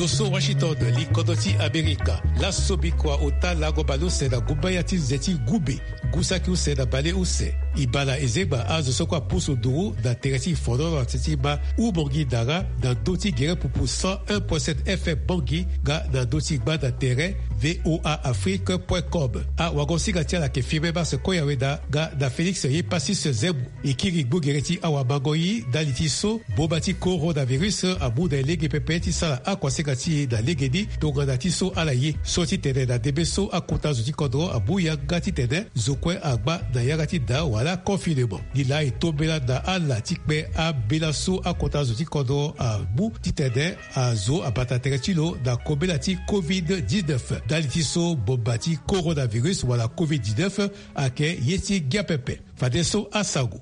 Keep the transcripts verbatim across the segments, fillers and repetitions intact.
So Washington, li kodro ti Amerika. Laso bikua ota lango baleuse na gumbaya ti nze ti gumbe, ngu saki use na baleuse. E baa na ezengba azo so kue apusu nduru na tere ti e fondoro na ti ti ma Oubangui Dara na ndö ti gere pupu cent un point sept F M Bangui nga na ndö ti gba na tere V O A Afrique point com. Awagosinga ti ala ayeke Firmin Mars Koyaweda nga na Félix Yepassis Zembo. E kiri gbogere ti awamango-i ndali ti so boma ti coronavirus amu na e lege pepe ti sara akuasinga ti e na legeni tongana ti so ala ye. So ti tene na ndembe so akota zo ti kodro amu yanga titene zo kue agba na yanga ti da wala confinement. Ni laa e tombela na ala ti kpe ambela so akota zo ti kodro amu titene azo abata tere ti lo na kobela ti covid dix-neuf ndali ti so boma ti coronavirus wala covid dix-neuf ayeke ye ti ngia pepe. Fadeso asango.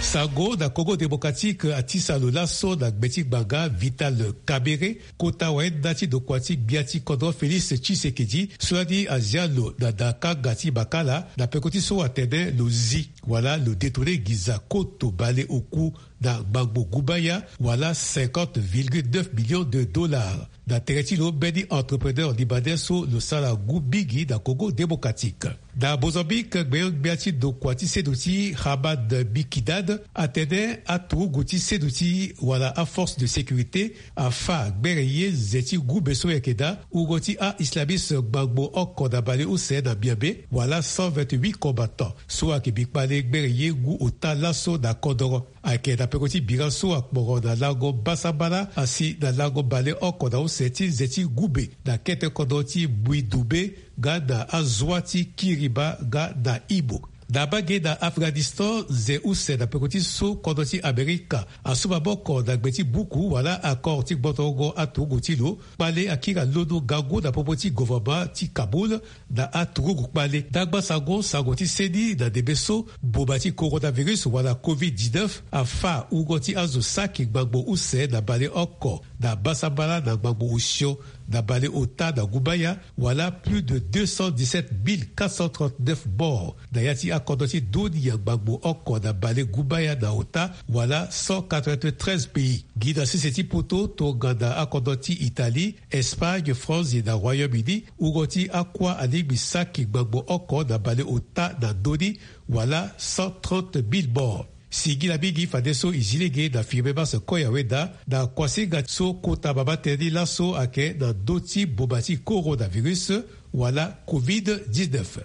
Sango na Congo Démocratique atisa lo laso na gbe ti ngbanga Vital Kamerhe, kota wayenda ti ndokua ti gbia ti kodro Félix Tshisekedi, so lani azia lo na da kanga ti makala na peko ti so atene lo zi wala lo détourné nginza koto baleoku na ngbangbo gumbaya wala cinquante virgule neuf millions de dollars. Na tere ti lo mbeni entrepreneur libanais so lo sara ngu mingi na Congo Démocratique. Na Mozambique, gbenyo-gbia ti ndokua ti seduti Hamad Mikidad atene aturugu ti seduti wala aforce de sécurité afa gbere ye nze ti gumbe so yeke daa wungo ti a-islamiste ngbangbo oko na baleuse na Miambe wala cent vingt-huit combattants so ayeke bi kpale gbere ye ngu ota laso na kodoro. Ayeke na peko ti bira so akporo na lango mbasambala asi na lango baleoko na use ti nze ti gumbe na kete kodro ti Mbuidumbe nga na azua ti Kiriba nga na Imo. Na abage na Afghanistan, nze use na peko ti so kodro ti Amerika asu maboko na gbe ti buku wala accord ti gbotorongo aturugu ti lo. Kpale akiri alondo ngangu na popo ti gouvernement ti Kaboul na aturugu kpale. Ndagba sango, sango ti seni na ndembe so boma ti coronavirus wala covid dix-neuf afa wungo ti azo saki ngbangbo use na baleoko na mbasambala na ngbangbo osio na baleota na gumbaya, wala plus de deux cent dix-sept mille quatre cent trente-neuf morts na ya ti akodro ti dunia ngbangbo oko na balegumbaya na ota, wala cent quatre-vingt-treize pays. Gi na sese ti poto tongana akodro ti Italie, Espagne, France ye na Royaume-Uni, wungo ti akua alingbi saki ngbangbo oko na baleota na ndö ni, wala cent trente mille morts. Singila mingi fadeso e zi lege na Firmin Mars Koyaweda na kuasinga so kota mama tënë ni laso ayeke na ndö ti boma ti coronavirus wala covid dix-neuf.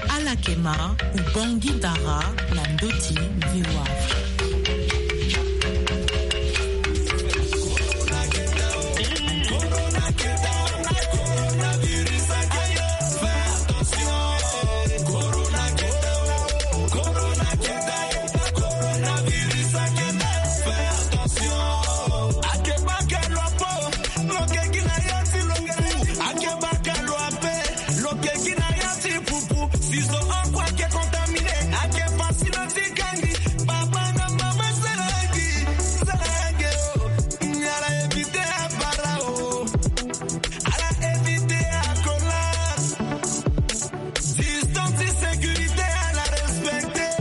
Alakema, Ubangui Dara, na ndö ti V O A Afrique. Distance ti sécurité à la respecter.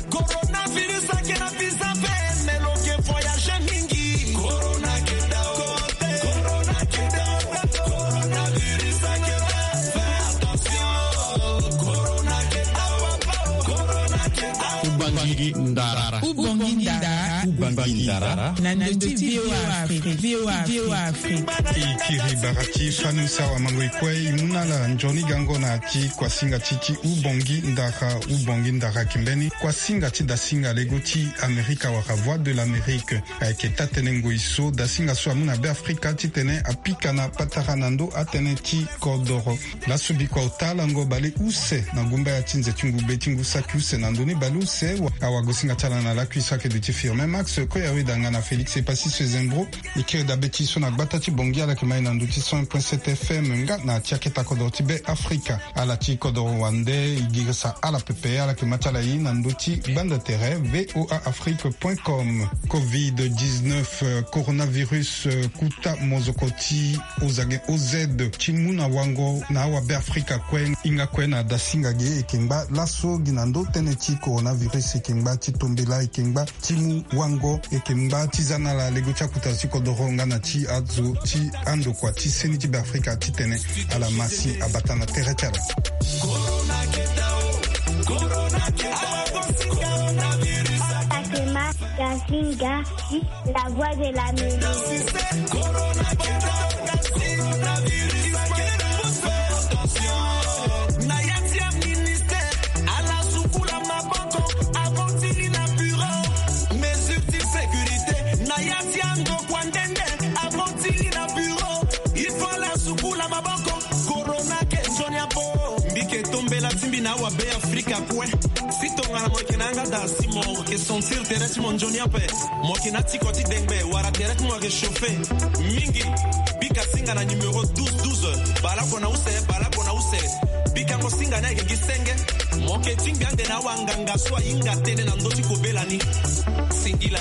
Coronavirus ake na visa pe, mais lo ke voyager mingi. Corona ke da o, corona ke da o, coronavirus ake da. Fais attention. Corona ke da o, corona ke da o. Ubangui Ndara. Ubangui Ndara. Ubangui Ndara. Na ndö ti V O A Afrique. V O A Afrique. E kiri bara ti fani use awamango-i kue, e mu na ala nzoni gango na ya ti kuasinga ti ti Ubangui Ndara. Ubangui Ndara ayeke mbeni kuasinga ti dasinga lego ti Amerika wala Voix de l'Amérique. Ayeke taa-tënë ngoi so dasinga so amu na Beafrika titene apika na patara na ndö atënë ti kodoro. Laso bikua ota lango baleuse na gumbaya ti nze ti ngumbe ti ngu saki use na ndö ni baleuse. Awagosinga ti ala na lakui so ayeke duti Firmin Max Koyaweda nga na Félix Epassis Sezembro. E kiri dabe ti so na gbata ti Bangui, ala yeke ma e na ndö ti cent un point sept F M nga na ya ti aketa kodoro ti Beafrika. Ala ti kodoro wande, e girisa ala pepe, ala yeke ma ti ala ye na ndö ti gbanda tere V O A Afrique point com. Covid dix-neuf, euh, coronavirus, euh, kuta mozoko ti Ozage O Z ti mu na wango na awabeafrika kue. Hinga kue na dasinga ge e yeke ngba laso gi na ndö tënë ti coronavirus, e yeke ngba ti tombela, e yeke ngba ti mu wango. E yeke ngba ti za na ala lego ti akuta ti kodoro nga na ti azo ti andokua ti seni ti Beafrika titene ala ma si abata na tere ti ala. Atema Gasinga, la voix de l'Amérique. Na ya ti aministère, ala sukula maboko, abotini na bureau. Mesure ti sécurité, na ya ti andokua ndende, abotini na bureau. Il faut ala sukula maboko. Corona ke nzoni abo. Mbi ke tombela ti mbi na awabe Afrika kue. Si tongana mo yeke na yanga daa si mo yeke sentir tere ti mo nzoni ape. Mo yeke na tiko ti dengbe wala tere ti mo yeke chauffer mingi. Bika singa na numéro douze douze. Baleoko na use, baleoko na use. Bikango singa ni ayeke gi senge. Mo yeke tingbi ande na awanganga so ahinga tënë na ndö ti kobela ni. Singila.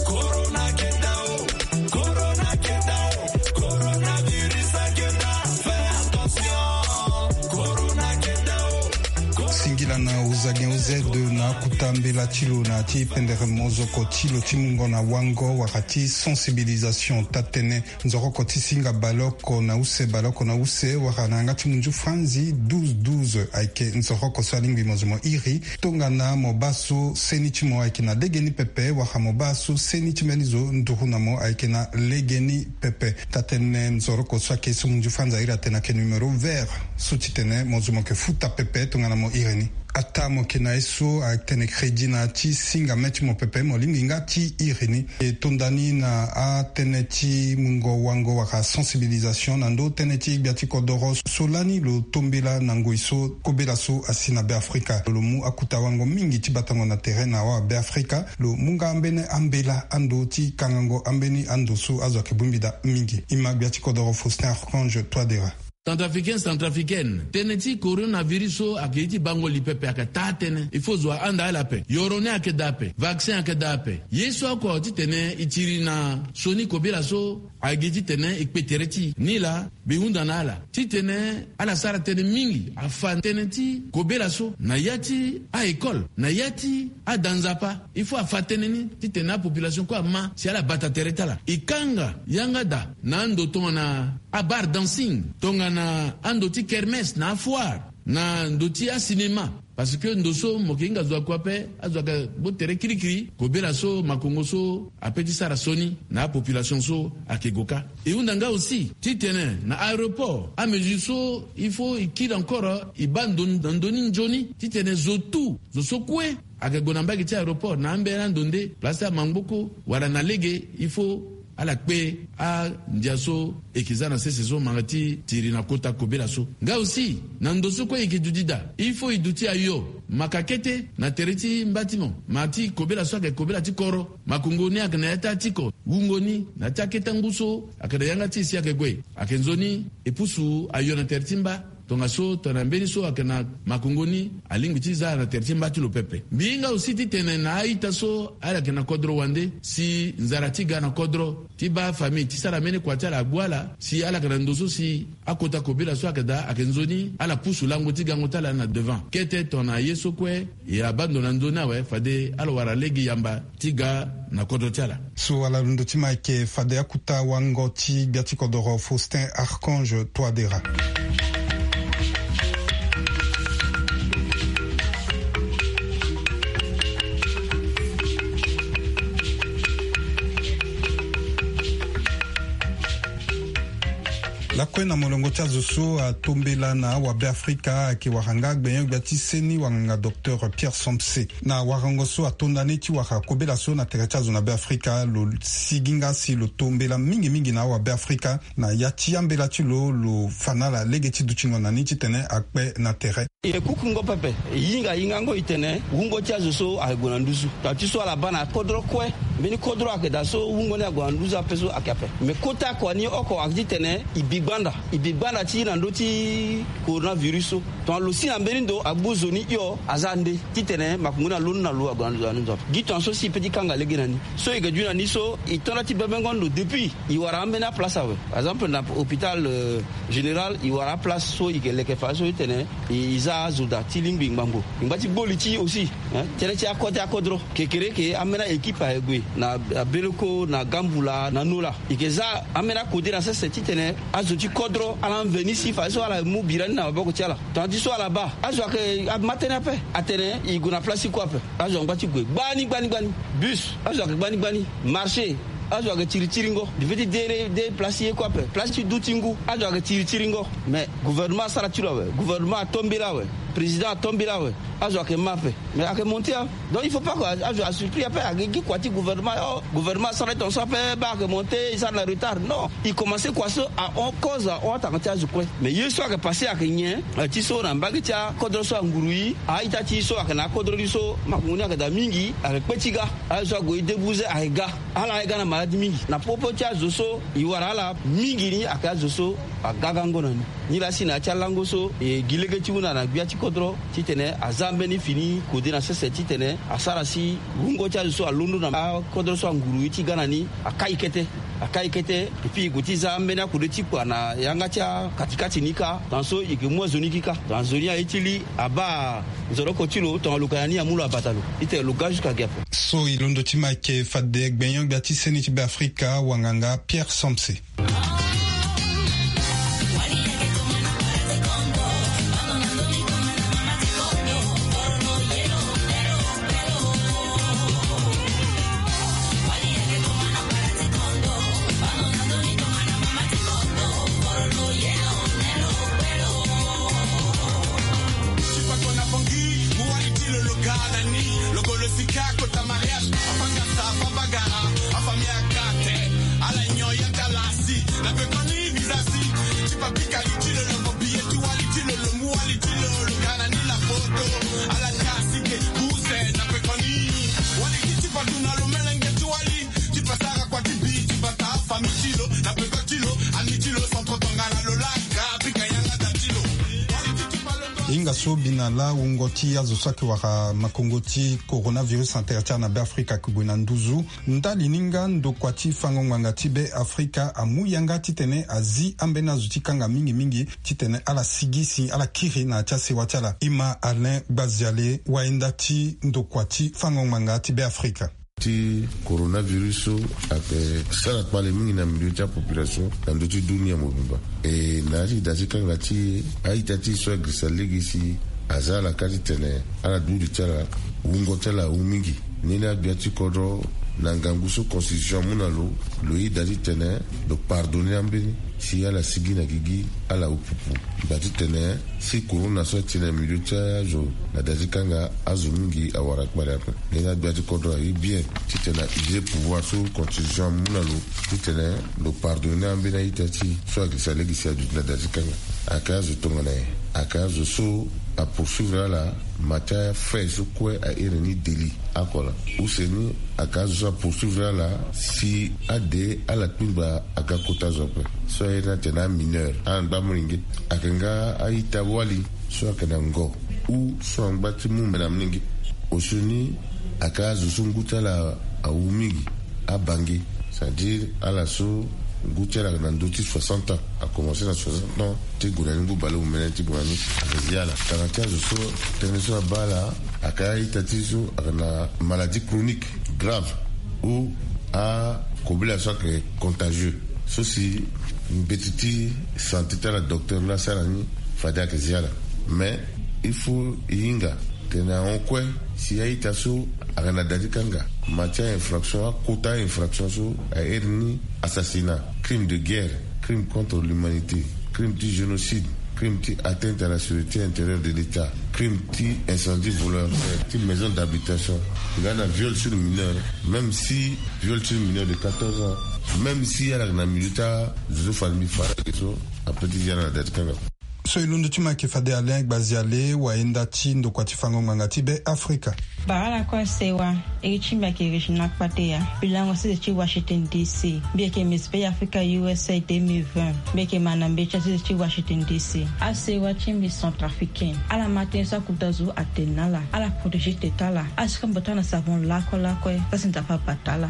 Corona ke daa o. Corona ke daa o. Coronavirus ke daa. Fais attention. Corona ke daa o. Singila na ozagen ozedo na akuta mbela ti lo na ti pendere mozoko ti lo ti mungo na wango wala ti sensibilisation. Taa-tënë nzoroko ti singa baleoko na use, baleoko na use wala na yanga ti munzu franzi douze douze ayeke nzoroko so alingbi mo zo mo iri. Tongana mo baa so seni ti mo ayeke na legeni pepe wala mo baa so seni ti mbeni zo nduru na mo ayeke na legeni pepe. Taa-tënë nzoroko so ayeke so munzu franzi airi atene ayeke numéro vert so titene mo zo mo yeke futa pepe tongana mo iri ni. Ataa mo yeke na ye so atene crédit na ya ti singa mê ti mo pepe, mo lingbi nga ti iri ni. E tonda ni na atënë ti mungo wango wala sensibilisation na ndö tënë ti gbia ti kodoro so lani lo tombela na ngoi so kobela so asi na Beafrika. Lo mu akuta wango mingi ti batango na tere na awabe Afrika. Lo mu nga ambeni ambela ando ti kangango ambeni ando so azo ayeke bongbi daa mingi. E ma gbia ti kodoro Faustin Archange Touadéra. Centrafricain, centrafricaine, tënë ti coronavirus so ayeke ye ti bango li pepe, ayeke taa-tënë. Il faut zo ahanda ala ape. Yoro ni ayeke daa ape. Vaccin ayeke daa ape. Ye so oko titene e tiri na sioni kobela so ayeke ye titene e kpe tere ti e. Nilaa mbi hunda na ala titene ala sara tënë mingi, afa tënë ti kobela so na ya ti a-école, na ya ti ada nzapa. Il faut afa tënë ni titene apopulation kue ama si ala bata tere ti ala. E kanga yanga daa na ando tongana abar dancing, tongana ando ti kermesse na afoire, na ndo ti asinema. Parce que ndo so mo yeke hinga zo akua ape, azo ayeke gbu tere kirikiri. Kobela so makongo so ape ti sara sioni na apopulation so ayeke gue kâ. E hunda nga aussi titene na aéroport amesure so il faut e kiri encore e baa ndo na ndö ni nzoni titene zo tout, zo so kue ayeke gue na mbage ti aéroport na ambeni ando nde place ti amangboko wala na lege, il faut ala kpe andia so e yeke za na sese so manga ti tiri na kota kobela so. Nga aussi na ndo so kue e yeke duti daa, il faut e duti ayo maka kete na tere ti mba ti mo, ma ti kobela so ayeke kobela ti koro. Makongo ni ayeke na ya ti atiko, wungo ni na ya ti akete ngu so ayeke na yanga ti e si ayeke gue. Ayeke nzoni e pusu ayo na tere ti mba. Tongaso tongana mbeni so ayeke na makongo ni alingbi ti za na tere ti mba ti lo pepe. Mbi hinga aussi titene na a-ita so ala yeke na kodro wande, si nzara ti ga na kodro ti baa famille ti sara mbeni kua ti ala agbu ala, si ala yeke na ndo so si akota kobela so ayeke daa, ayeke nzoni ala pusu lango ti gango ti ala na devant. Kete tongana ye so kue e abaa ndo na ndö ni awe, fade ala wara lege yamba ti ga na kodro ti ala. So ala londo ti ma ayeke fade akuta wango ti gbia ti kodoro Faustin Archange Touadéra. Lakue na molongo ti azo so atombela na awabe Afrika ayeke wara nga gbenyo-gbia ti seni wanganga docteur Pierre Somse. Na warango so atonda ni ti wara kobela so na tere ti azo na Beafrika, lo sigi nga si lo tombela mingi mingi na awabe Afrika na ya ti ambela ti lo, lo fa na ala lege ti dutingo na ni titene akpe na tere. E kukungo pepe, e hinga hingango e tene wungo ti azo so ayeke gue na nduzu. Tongana ti so ala baa na kodro kue, mbeni kodro ayeke daa so wungo ni ague na nduzu ape so ayeke ape. Me kota kua ni oko ayeke titene e bi gbanda, e bi gbanda ti na ndö ti coronavirus so. Tongana lo si na mbeni ndo agbu zo ni hio, aza nde titene makongo ni alondo na lo ague na nduzu ape. Gi tongana so si e peut ti kanga lege na ni. So e yeke duti na ni so e to nda ti bebengo ndo depuis e wara ambeni aplace awe. Par exemple na hôpital, euh, général e wara aplace so e yeke leke fa so e tene e, e za azo daa ti lingbi ngbangbo. E ngba ti gbo li ti e aussi, hein, tënë ti akode akodro. Kekereke ambeni a-équipe ayeke gue na, na Beleko, na Gambula, na Nola. E yeke za ambeni akode na sese titene azo ti kodro ala veni si fadeso ala mu bira ni na maboko ti ala. Tongana ti so ala baa, azo ayeke, ama tënë ape. Atene e gue na place ti kue ape. Azo angba ti gue gbani gbani gbani. Bus, azo ayeke gbani gbani. Marché, azo ayeke tiri tiringo. Di feti de, de place ti ye kue ape, place ti du ti ngu, azo ayeke tiri tiringo. Mais gouvernement asara ti lo awe, gouvernement atombela awe, président atombela awe. Azo ayeke ma ape. Mais ayeke monté, hein. Donc il faut pas que azo asurpris ape, ayeke gi kua ti gouvernement. Oh, gouvernement asara ti tongaso ape, baa ayeke monté, e sara na retard. Non. E commencé kua so ahon, cause ahon atanga ti azo kue. Mais ye so ayeke passé ayeke nyen? Eh, ti so na mbage ti akodro so anguru e, a-ita ti e so ayeke na akodro ni so makongo ni ayeke daa mingi, ayeke kpe ti ga. Aye so ague e debuze ayeke ga. Ala ayeke ga na maladi mingi. Na popo ti azo so e wara ala mingi ni ayeke azo so aga gango na ni. Nilaa si na ya ti alango so e gi lege ti hunda na gbia ti kodro titene aza mbeni fini kode na sese titene asara si wungo ti azo so alondo na akodro so anguru e ti ga na ni akai kete. Akai kete. Et puis e gue ti za ambeni akode ti kua na yanga ti akatikati ni kâ. Tongana so e yeke mu azo ni kika, tongana zo ni aye ti li abaa nzoroko ti lo, tongana lo ga na ni amu lo abata lo. Ite lo ga jusqu'à ge ape. So e londo ti ma ayeke fade gbenyo-gbia ti seni ti Beafrika, wanganga Pierre Somse. Ti pa kona bongi, mu wali ti lo lo ga na ni. Lo go lo sika kota mariage. Afanga sa, afabagara, afamia kate. Ala nyon ya kalasi, na pe koni visa si. Ti pa pika li ti lo lo mo biye ti wali ti lo lo mu wali ti lo lo ga na ni la photo. Ala kasi ke buse na pe koni. Wali ti ti pa duna lo melenge ti wali. Ti pa sara kua ti bi, ti pa ta famille ti lo, na pe koti lo, ami ti lo, centre tongana lo laka, pika yanga da ti lo. Wali ti ti pa lo. Hinga so bi na laa wungo ti azo so ayeke wara makongo ti coronavirus na tere ti ala na Beafrika ayeke gue na nduzu. Ndali ni nga ndokua ti fango ngbanga ti Beafrika amu yanga titene azi ambeni azo ti kanga mingi mingi titene ala sigi si ala kiri na ya ti asewa ti ala. Ima Alain Gbaziale, wayenda ti ndokua ti fango ngbanga ti Beafrika. Ti coronavirus so ayeke sara kpale mingi na milieu ti apopulation na ndö ti dunia mobimba. E na ya ti da ti kanga ti e, a-ita ti e so agirisa lege si aza ala ka titene ala duti ti ala, wungo ti ala awu mingi. Ni laa gbia ti kodro na ngangu so constitution amu na lo, lo yeda titene lo pardonner ambeni si ala sigi na gigi, ala wu pupu. Ngba titene si corona so ati na milieu ti azo na da ti kanga, azo mingi awara kpale ape. Ni laa gbia ti kodro aye bien titene a user pouvoir so constitution amu na lo titene lo pardonner ambeni a-ita ti e so agirisa lege si aduti na da ti kanga. Ayeke azo tongana nyen? Ayeke azo so apoursuivre ala ma ti afait so kue a iri ni délit. Oko laa. Use ni ayeke azo so apoursuivre ala si ade ala kpingba aga kota zo ape. So a iri ni atene amineur, ala ngba molenge. Ayeke nga a-ita wali so ayeke na ngo ou so angba ti mu mbe na molenge. Osioni ayeke azo so ngu ti ala awu mingi, abange. C'est-à-dire ala so ngu ti ala ayeke na ndö ti soixante ans, akomanse na soixante ans ti gue na ni ngu baleomene ti gue na ni, ayeke zi ala. Tanga ti azo so tënë so abaa ala, ayeke a-ita ti e so ayeke na maladie chronique grave ou akobela so ayeke contagieux, so si mbeti ti santé ti ala, docteur laa asara ni, fade ayeke zi ala. Mais il faut e hinga tene ahon kue si a-ita so ayeke na da ti kanga ma ti a-infraction, akota a-infraction so a iri ni assassinat, crime de guerre, crime contre l'humanité, crime ti génocide, crime ti atteinte à la sûreté intérieure de l'État, crime ti incendie volontaire ti maison d'habitation, nga na viol sur mineur. Même si viol sur mineur de quatorze ans, même si ala yeke na milieu ti azo so fade mbi fara ge so, ape ti zi ala na da ti kanga. So e londo ti ma ayeke fade Alain Gbaziale, wayenda ti ndokua ti fango ngbanga ti Beafrika. Bara lakue asewa, iri ti mbi ayeke Regina Kpateya. Mbi lango sese ti Washington D C. Mbi yeke Miss Beafrika U S A deux mille vingt. Mbi yeke ma na mbeti asese ti Washington D C. Asewa ti mbi centrafricaine. Ala ma tënë so akota zo atene na ala. Ala protéger tete ala. Ala sika mbote ala na savon lakue lakue. Za si Nzapa abata ala.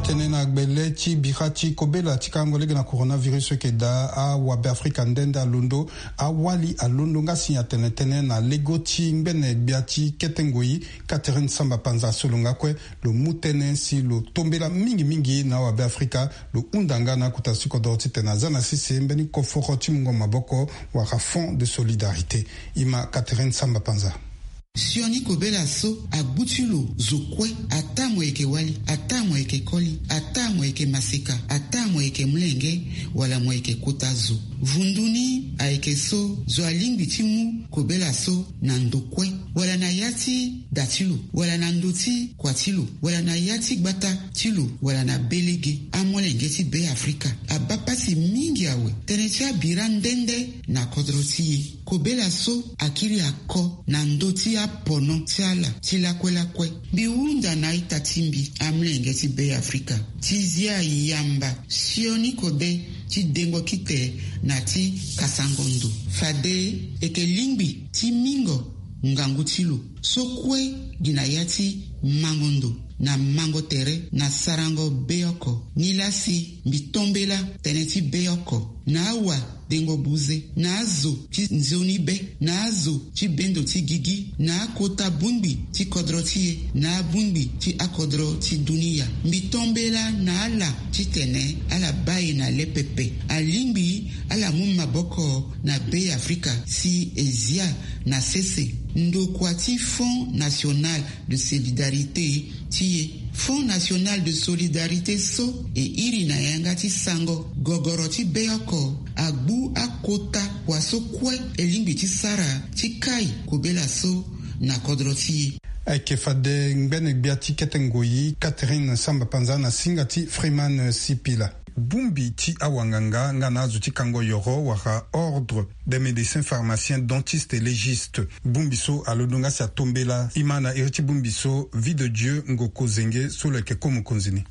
Tene na gbele ti bira ti kobela ti kango lege na coronavirus so eke daa awabe afrika nde nde alondo awali alondo nga si atene tënë na lego ti ngbene gbia ti kete ngoi Catherine Samba Panza so lo nga kue lo mu tënë si lo tombela mingi mingi na awabe afrika. Lo hunda nga na akota ti kodro titene aza na sese mbeni koforo ti mungo maboko wala fonds de solidarité. Ima Catherine Samba Panza. Sioni kobela so agbu ti lo zo kue, ataa mo yeke wali, ataa mo yeke koli, ataa mo yeke maseka, ataa mo yeke molenge, wala mo yeke kota zo. Vundu ni ayeke so zo alingbi ti mu kobela so na ndo kue, wala na ya ti da ti lo, wala na ndo ti kua ti lo, wala na ya ti gbata ti lo, wala na be lege. Amolenge ti Be Afrika abaa pasi mingi awe. Tënë ti abira nde nde na kodro ti e. Kobela so akiri ako na ndö ti apono ti ala ti lakue lakue. Mbi hunda na a-ita ti mbi amolenge ti Be Afrika ti zia yamba sioni kode ti dengo kite na ti kasango ndo. Fade eke lingbi ti mingo ngangu ti lo so kue gi na ya ti mango ndo na mango tere na sarango beoko. Nilaa si mbi tombela tënë ti beoko na awa dengo buze, na azo ti nzoni be, na azo ti bendo ti gigi, na akota bongbi ti kodro ti e, na abongbi ti akodro ti dunia. Mbi tombela na ala titene ala baa e na le pepe. Alingbi ala mu maboko na Be Afrika si e zia na sese. Ndokua ti Fonds National de Solidarité ti e. Fonds National de Solidarité so e iri na yanga ti sango gogoro ti beoko agbu akota kua so kue e lingbi ti sara ti kai kobela so na kodro ti e. Ayeke fade ngbene gbia ti kete ngoi Catherine Samba Panza na singa ti Freeman Sipila. Bongbi ti awanganga nga na azo ti kango yoro wala Ordre des médecins pharmaciens dentistes et légistes. Bongbi so alondo nga si atombela. Ima na iri ti bongbi so Vie de Dieu Ngoko Zenge so lo yeke ko mokonzi ni.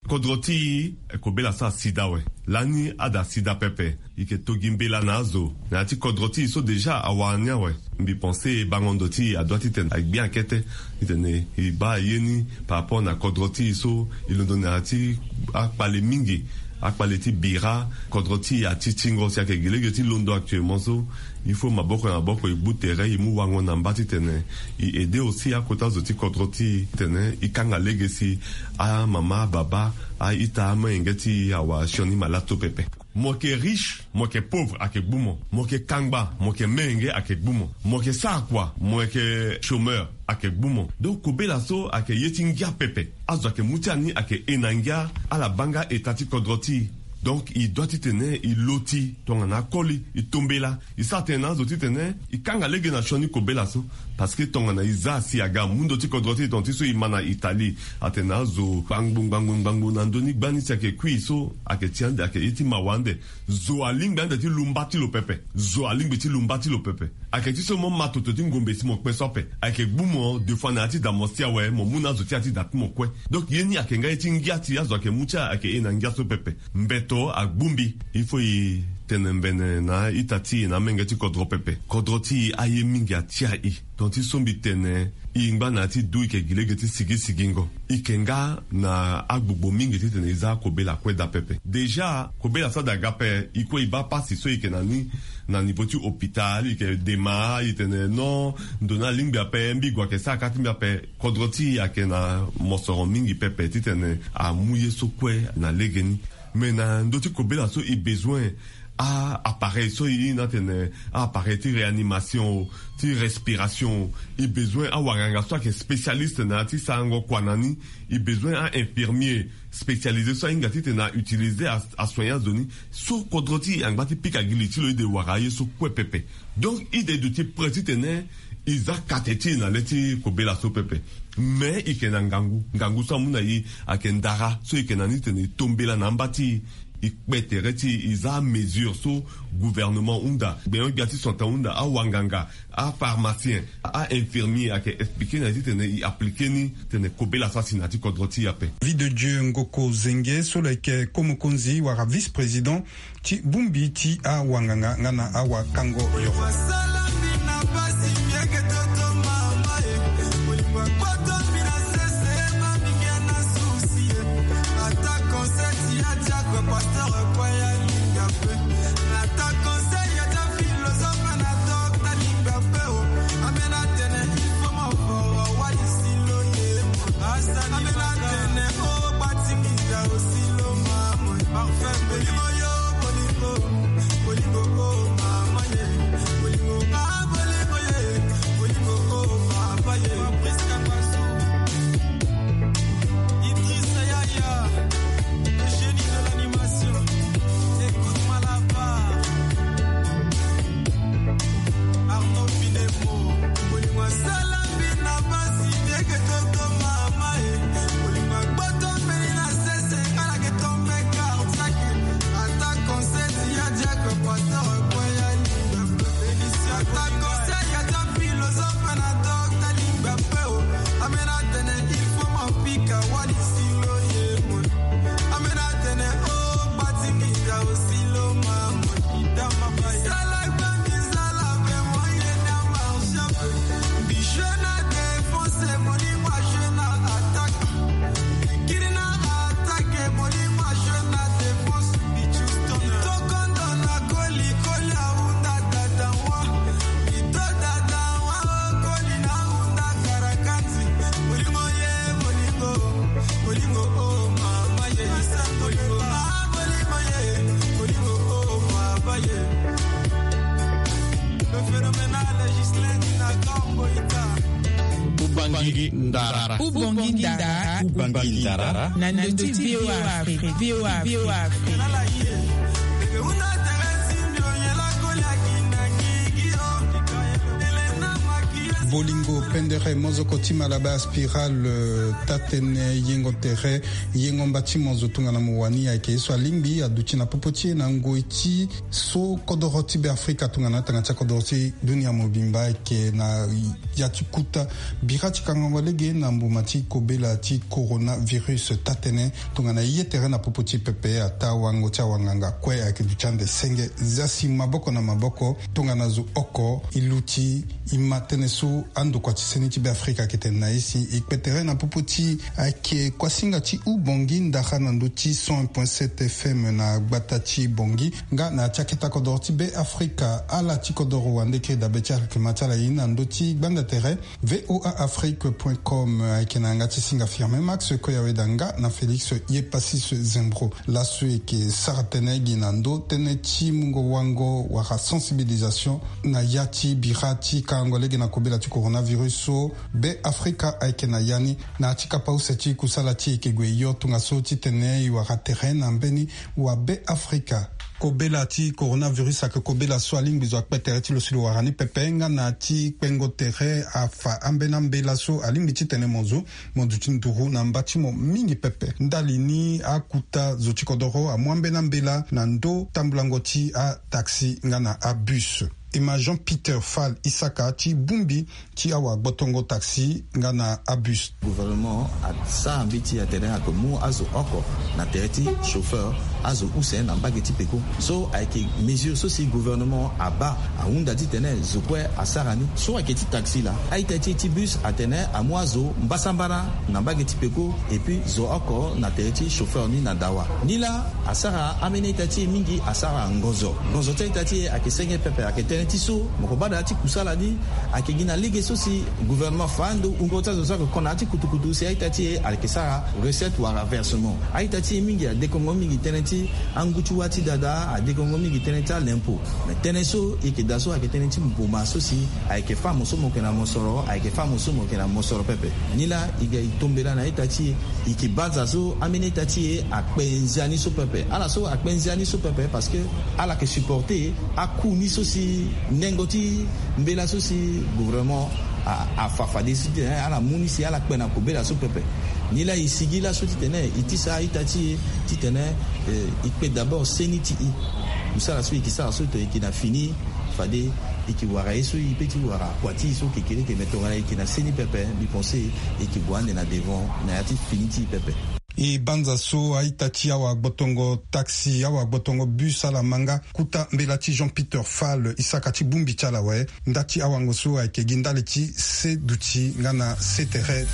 Kodro ti e, kobela so asi daa awe. Lani ada asi daa pepe. E yeke to gi mbela na azo na ya ti kodro ti e so déjà awara ni awe. Mbi pense bango ndo ti e adoit titene agbi akete titene e baa ye ni par rapport na kodro ti e so e londo na ya ti akpale mingi. Akpale ti bira kodro ti e ati tingo si ayeke gi lege ti londo actuellement so. Il faut maboko na maboko e gbu tere e mu wango na mba titene e aide aussi akota zo ti kodro ti e titene e kanga lege si amama, ababa, a-ita, amolenge ti e awara sioni malato pepe. Mo yeke riche, mo yeke pauvre, ayeke gbu mo. Mo yeke kangba, mo yeke menge, ayeke gbu mo. Mo yeke sara kua, mo yeke chômeur, ayeke gbu mo. Donc kobela so ayeke ye ti ngia pepe. Azo ayeke mu ti ani ayeke e na ngia. Ala baa nga eta ti kodro ti e. Donc e doit titene e loti tongana akoli, e tombela. E sara tënë na azo titene e kanga lege na sioni kobela so. Parce que tongana e za si aga amu ndo ti kodro ti e tonga ti so e ma na Italie, atene na azo ngbangbo ngbangbo ngbangbo na ndö ni gbani si ayeke kui so ayeke ti ande, ayeke ye ti mawa ande. Zo alingbi ande ti lu mba ti lo pepe. Zo alingbi ti lu mba ti lo pepe. Ayeke ti so mo ma toto ti ngombe si mo kpe so ape. Ayeke gbu mo deux fois na ya ti da mo si awe, mo mu na azo ti ya ti da ti mo kue. Donc ye ni ayeke nga ye ti ngia ti azo ayeke mu ti ayeke e na ngia so pepe. Mbeto agbu mbi. Il faut e tene mbene na a-ita ti e na amenge ti kodro pepe. Kodro ti e aye mingi atia e. Tongana ti so mbi tene e ngba na ya ti du e yeke gi lege ti sigi sigingo. E yeke nga na agbogbo mingi titene e za akobela kue daa pepe. Déjà kobela so ada ga ape, e kue e baa pasi so e yeke na ni na niveau ti hôpital, e yeke dema, e tene non, ndo ni alingbi ape, mbi gue ayeke sara kâ ti mbi ape. Kodro ti e ayeke na mosoro mingi pepe titene amu ye so kue na legeni. Mais na ndö ti kobela so e bezoin a-appareil so e iri ni atene a-appareil ti réanimation o, ti respiration o. E bezoin awanganga so ayeke spécialiste na ya ti sarango kua na ni. E bezoin a-infirmier spécialisé so ahinga titene a-utiliser a, asoigner azo ni. So kodro ti e angba ti pika gi li ti lo, e de wara aye so kue pepe. Donc e de duti prêt titene e za kate ti e na le ti kobela so pepe. Mais e yeke na ngangu. Ngangu so amu na e ayeke ndara so e yeke na ni titene e tombela na amba ti e. E kpe tere ti e, e za amesure so gouvernement hunda, gbenyo-gbia ti santé hunda, awanganga, apharmacien, a-infirmier ayeke expliquer na e titene e appliquer ni titene kobela so asi na ya ti kodro ti e ape. Vie de Dieu Ngoko Zenge so lo yeke ko mokonzi wala vice-président ti bongbi ti awanganga nga na awakango yoro. Ndara. Ubongi ndara. Ubongi ndara. Na ndö ti V O A Afrique. V O A Afrique. Bolingo pendere mozoko ti Malabar Spiral, euh, taa-tënë yengo tere, yengo mba ti mo zo tongana mo wani ayeke ye so alingbi aduti na popo ti e na ngoi ti so kodoro ti Beafrika tongana tanga ti akodoro ti dunia mobimba ayeke na ya ti kuta bira ti kangango lege na mbuma ti kobela ti coronavirus. Taa-tënë tongana ye tere na popo ti pepe ataa wango ti awanganga kue ayeke duti ande senge. Zia si maboko na maboko tongana zo oko e luti e ma tënë so andokua ti seni ti Beafrika ayeke tene na e si e kpe tere na popo ti ayeke kuasinga ti ubongi ndara na ndö ti cent un point sept F M na gbata ti Bangui. Nga na ya ti akete kodoro ti Beafrika, ala ti kodoro wande kiri dabe ti alkima ti ala ye ni na ndö ti gbanda tere V O A Afrique point com, ayeke na yanga ti singa Firmin Max Koyaweda nga na Félix Yepasis Zembro. Laso e yeke sara tënë gi na ndö tënë ti mungo wango wala sensibilisation na ya ti bira ti kangango lege na kobela ti coronavirus so Beafrika ayeke na ya ni. Na ya ti kapa use ti kusala ti e yeke gue yo tongaso titene e wara tere na mbeni wa Beafrika. Kobela ti coronavirus ayeke kobela so alingbi zo akpe tere ti lo si lo wara ni pepe nga na ya ti kpengo tere afa ambeni ambela so alingbi titene mo zo mo duti nduru na mba ti mo mingi pepe. Ndali ni akuta zo ti kodoro amu ambeni ambela na ndö tambulango ti ataxi nga na abus. E ma Jean Peter Fall Isaka ti bongbi ti awagbotongo taxi nga na abus. Gouvernement asara mbeti atene ayeke mu azo oko na tere ti chauffeur, azo use na mbage ti peko. So ayeke mesure so si gouvernement abaa ahunda titene zo kue asara ni. So ayeke ti taxi laa, a-ita ti e ti bus atene amu azo mbasambara na mbage ti peko, et puis zo oko na tere ti chauffeur ni na dawa. Ni laa asara ambeni a-ita ti e mingi asara ngonzo. Ngonzo ti a-ita ti e ayeke senge pepe, ayeke tënë ti so mo ko baa na ya ti kusala ni ayeke gi na lege so si gouvernement afa ando wungo ti azo so ayeke ko na ya ti kutukutu si a-ita ti e ayeke sara recette wala versement. A-ita ti e mingi adekongo mingi tënë ti angu ti wâ ti dada, adekongo mingi tënë ti alempo. Me tënë so e yeke daa so ayeke tënë ti mboma so si ayeke fâ mo so mo yeke na mosoro, ayeke fâ mo so mo yeke na mosoro pepe. Ni laa e ga e tombela na a-ita ti e, e yeke banza so ambeni a-ita ti e akpe nzia ni so pepe. Ala so akpe nzia ni so pepe parce que ala yeke supporter aku ni so si nengo ti mbela so si gouvernement a, afa fade so titene ala mu ni si ala kpe na kobela so pepe. Ni laa e sigi laso titene e tisa a-ita ti e titene, eh, e kpe d'abord seni ti e. Mosala so e yeke sara so e yeke na fini, fade e yeke wara ye so e peut ti wara kua ti e so kekereke, me tongana e yeke na seni pepe, mbi pense e yeke gue ande na devant na ya ti fini ti e pepe. E banza so a-ita ti awagbotongo taxi, awagbotongo bus ala ma nga kuta mbela ti Jean Peter Fall Isaka ti bongbi ti ala awe. Nda ti awango so ayeke gi ndali ti se duti nga na se tere.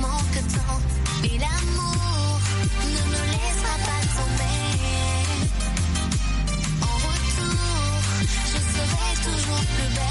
manque tant, mais l'amour ne me laissera pas tomber. En retour, je serai toujours plus belle.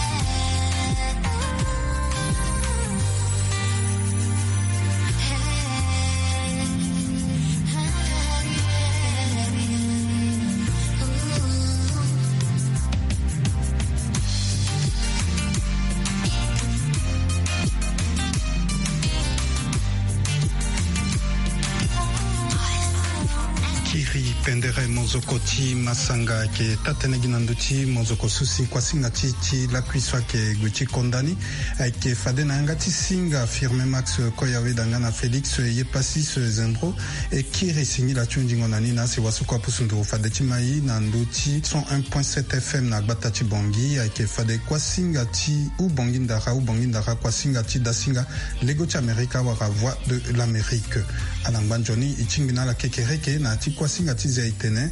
Kiri pendere mozoko ti masanga ayeke taa-tënë gi na ndö ti mozoko so si kuasinga ti ti lakui so ayeke gue ti konda ni. Ayeke fade na yanga ti singa Firmin Max Koyaweda nga na Félix Yepasis Zembro. E kiri singila ti hundingo na ni na asiwasoko apusu nduru fade ti mai na ndö ti cent un point sept F M na gbata ti Bangui. Ayeke fade kuasinga ti Ubangui Ndara, Ubangui Ndara, kuasinga ti dasinga lego ti Amerika wala Voix de l'Amérique. Ala ngba nzoni e tingbi na ala kekereke na ya ti kuasinga ti zia etene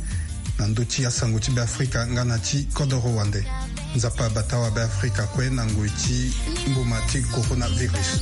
na ndö ti asango ti Beafrika nga na ti kodoro wande. Nzapa abata wa Beafrika kue na ngoi ti mbuma ti coronavirus.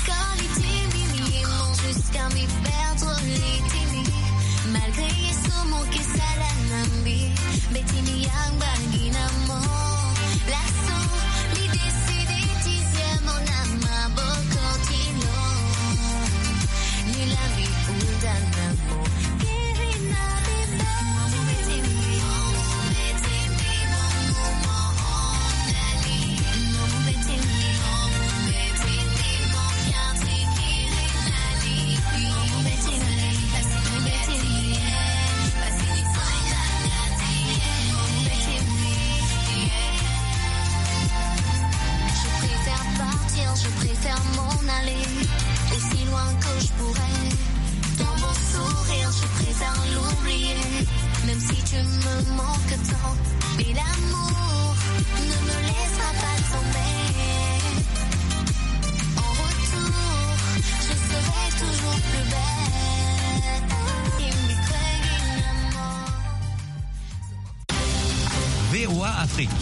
Quand li ti mbi, mi ye mo jusqu'à mi perdre li ti mbi. Malgré ye so mo ke sala na mbi, mbeti mbi yangba gi na mo. Laso mbi décide ti zia mo na maboko ti lo. Ni la mbi hunda na mo. Kiri na bibe. Je préfère partir, je préfère m'en aller, aussi loin que je pourrais. Dans mon sourire, je préfère l'oublier. Même si tu me manques tant, mais l'amour ne me laissera pas tomber. En retour, je serai toujours plus belle. V O A Afrique.